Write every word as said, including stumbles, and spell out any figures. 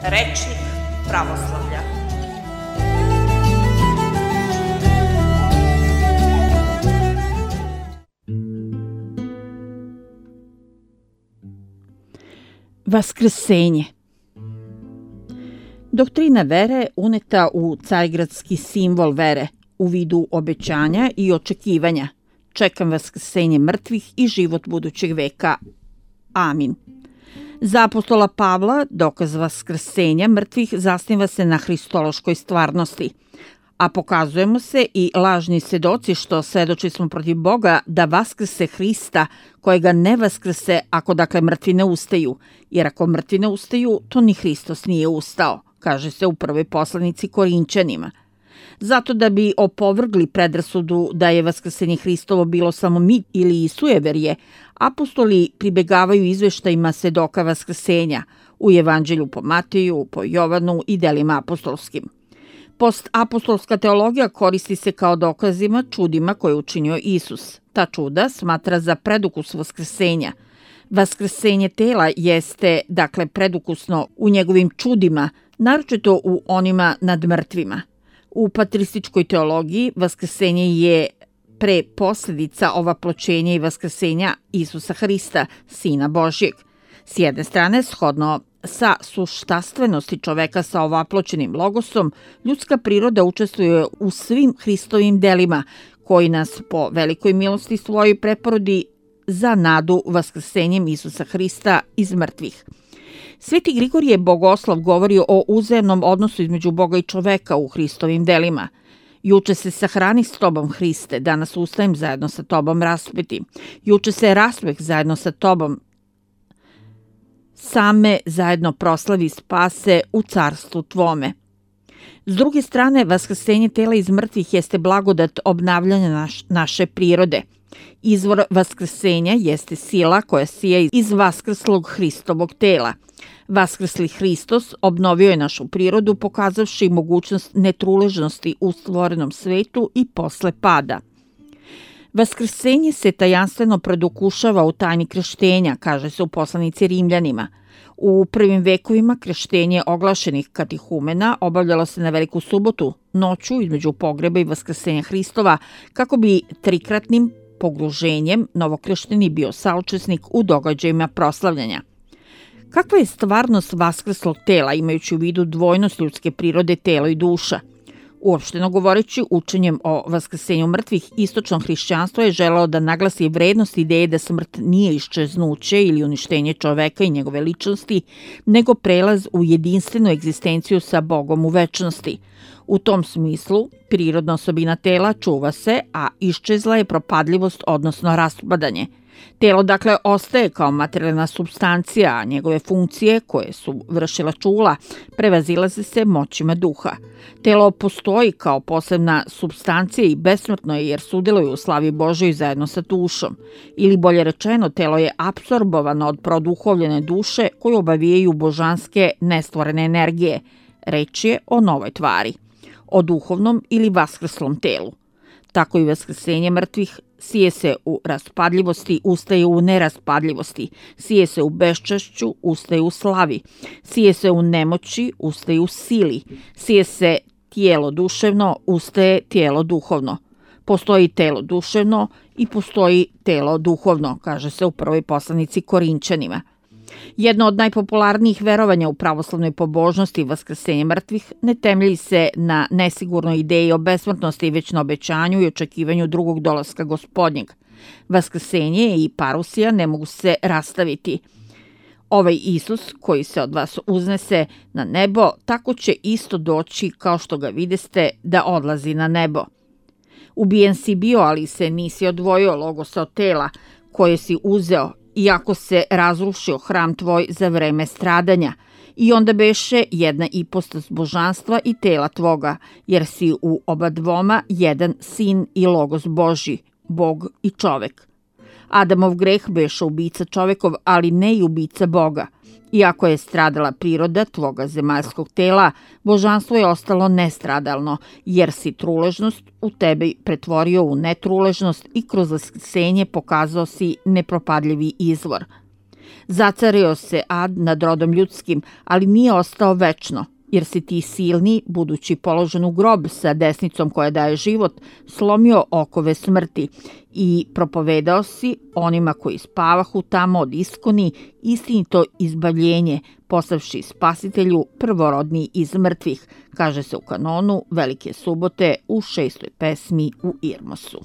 Rečnik pravoslavlja. Vaskrsenje. Doktrina vere uneta u carigradski simbol vere u vidu obećanja i očekivanja. Čekam vaskrsenje mrtvih i život budućeg veka. Amin. Za apostola Pavla dokaz vaskrsenja mrtvih zasniva se na hristološkoj stvarnosti, a pokazujemo se i lažni svedoci što svedoči smo protiv Boga da vaskrse Hrista, kojega ne vaskrse ako dakle mrtvi ne ustaju, jer ako mrtvi ne ustaju, to ni Hristos nije ustao, kaže se u prvoj poslanici Korinćanima. Zato da bi opovrgli predrasudu da je vaskrsenje Hristovo bilo samo mit ili sujeverje, apostoli pribegavaju izveštajima svedoka vaskrsenja u Evanđelju po Mateju, po Jovanu i delima apostolskim. Postapostolska teologija koristi se kao dokazima čudima koje je učinio Isus. Ta čuda smatra za predukus vaskrsenja. Vaskrsenje tela jeste, dakle, predukusno u njegovim čudima, naročito u onima nad mrtvima. U patrističkoj teologiji vaskrsenje je pre posledica ovaploćenja i vaskrsenja Isusa Hrista, Sina Božjeg. S jedne strane, shodno sa suštastvenosti čoveka sa ovaploćenim logosom, ljudska priroda učestvuje u svim Hristovim delima, koji nas po velikoj milosti svojoj preporodi za nadu vaskrsenjem Isusa Hrista iz mrtvih. Sveti Grigorije Bogoslov govori o uzajamnom odnosu između Boga i čoveka u Hristovim delima. Juče se sahrani s tobom, Hriste, danas ustajem zajedno sa tobom raspeti. Juče se raspeh zajedno sa tobom, same zajedno proslavi spase u carstvu tvome. S druge strane, vaskrsenje tela iz mrtvih jeste blagodat obnavljanja naš, naše prirode. Izvor vaskrsenja jeste sila koja sija iz vaskrslog Hristovog tela. Vaskrsli Hristos obnovio je našu prirodu, pokazavši mogućnost netruležnosti u stvorenom svetu i posle pada. Vaskrsenje se tajanstveno produkušava u tajni krštenja, kaže se u poslanici Rimljanima. U prvim vekovima krštenje oglašenih katihumena obavljalo se na Veliku subotu, noću između pogreba i vaskrsenja Hristova, kako bi trikratnim pogruženjem novokršteni bio saučesnik u događajima proslavljanja. Kakva je stvarnost vaskrslog tela, imajući u vidu dvojnost ljudske prirode, telo i duša? Uopšteno govoreći, učenjem o vaskrsenju mrtvih, istočno hrišćanstvo je želeo da naglasi vrednost ideje da smrt nije iščeznuće ili uništenje čoveka i njegove ličnosti, nego prelaz u jedinstvenu egzistenciju sa Bogom u večnosti. U tom smislu, prirodna osobina tela čuva se, a iščezla je propadljivost, odnosno raspadanje. Telo, dakle, ostaje kao materijalna supstancija, a njegove funkcije, koje su vršila čula, prevazilaze se moćima duha. Telo postoji kao posebna supstancija i besmrtno je jer sudeluje u slavi Božoj zajedno sa dušom. Ili bolje rečeno, telo je apsorbovano od produhovljene duše koju obavijaju božanske nestvorene energije. Reč je o novoj tvari, o duhovnom ili vaskrslom telu. Tako i vaskrsenje mrtvih sije se u raspadljivosti, ustaje u neraspadljivosti, sije se u beščašću, ustaje u slavi, sije se u nemoći, ustaje u sili, sije se tijelo duševno, ustaje tijelo duhovno. Postoji telo duševno i postoji telo duhovno, kaže se u prvoj poslanici Korinćanima. Jedno od najpopularnijih verovanja u pravoslavnoj pobožnosti, vaskrsenje mrtvih, ne temelji se na nesigurnoj ideji o besmrtnosti, već na obećanju i očekivanju drugog dolaska Gospodnjeg. Vaskrsenje i parusija ne mogu se rastaviti. Ovaj Isus koji se od vas uznese na nebo, tako će isto doći kao što ga videste da odlazi na nebo. Ubijen si bio, ali se nisi odvojio logosa od tela koje si uzeo, iako se razrušio hram tvoj za vreme stradanja, i onda beše jedna ipostas božanstva i tela tvoga, jer si u oba dvoma jedan sin i logos Božji, Bog i čovek. Adamov greh beše ubica čovekov, ali ne i ubica Boga. Iako je stradala priroda tvoga zemaljskog tela, božanstvo je ostalo nestradalno, jer si truležnost u tebi pretvorio u netruležnost i kroz vaskrsenje pokazao si nepropadljivi izvor. Zacario se ad nad rodom ljudskim, ali nije ostao večno, jer si ti silni, budući položen u grob sa desnicom koja daje život, slomio okove smrti i propovedao si onima koji spavahu tamo od iskoni istinito izbavljenje, poslavši spasitelju prvorodni iz mrtvih, kaže se u kanonu Velike subote u šestoj pesmi u Irmosu.